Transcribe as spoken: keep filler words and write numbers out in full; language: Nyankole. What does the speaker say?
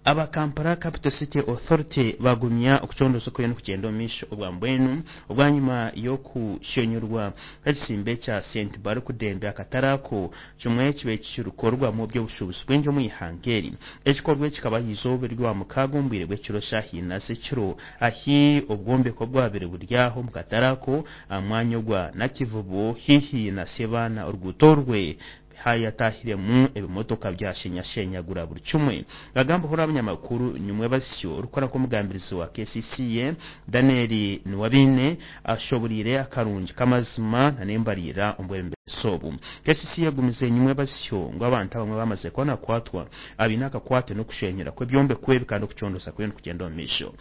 Aba Kampala Capital City Authority bagumya okucondoza okuyo nikugyenda omu maisho obwambwenu obwanyima y'okushenyurwa kw'ekisimbe kya Saint Barukudembe akatare ako kimwe kibe kirikorwamu eby'obushuubuzi bwingi omu ihanga eri. Ekikorwa eki kikaba aha izooba ery'Orwamukaaga omu bwire bw'ekiro shaaha ina z'ekiro, ahi obwombeko obwabire buri aho omu katare ako aha mwanya ogwa Nakivubo haihi na Ssebaana oruguuto orwe hayatahiremu ebimotoka byashenyashenyagura buri kimwe. Bagambaho n'abanyamakuru nyimwe basyo orikukora nk'omugambirizi wa K C C A, Daniel Niwabiine, ashoboreire akarungi k'amazima n'embariira omu bwebembezi obu. K C C A egumize nyimwe basyo ngu abantu abamwe bamaze kuba nakwatwa abaine akakwate n'okushenyera kw'ebyombeko ebi kandi okucondoza kuriyo nikugyenda omu maisho.